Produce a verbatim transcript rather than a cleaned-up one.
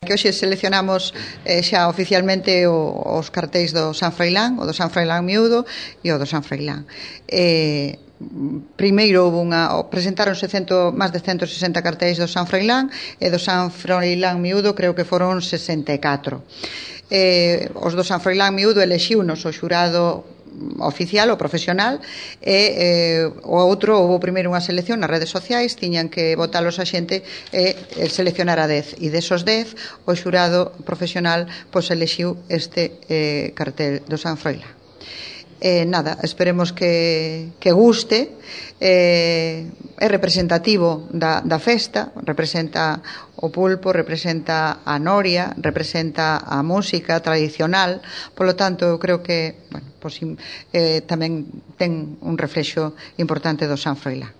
que hoxe seleccionamos eh, xa oficialmente o, os cartéis do San Froilán, o do San Froilán Miúdo e o do San Froilán. Eh, primeiro houve unha, presentáronse cento, máis de ciento sesenta cartéis do San Froilán e do San Froilán Miúdo creo que foron sesenta e catro. Eh, os do San Froilán Miúdo elexiunos o xurado oficial ou profesional e eh, o outro houve primeiro unha selección nas redes sociais, tiñan que votalos a xente e eh, seleccionar a dez, e desos dez o xurado profesional pois elexiu este eh, cartel do San Froilán. Eh, nada, esperemos que, que guste, eh, é representativo da, da festa, representa o pulpo, representa a noria, representa a música tradicional, polo tanto eu creo que bueno, pois, eh, tamén ten un reflexo importante do San Froilán.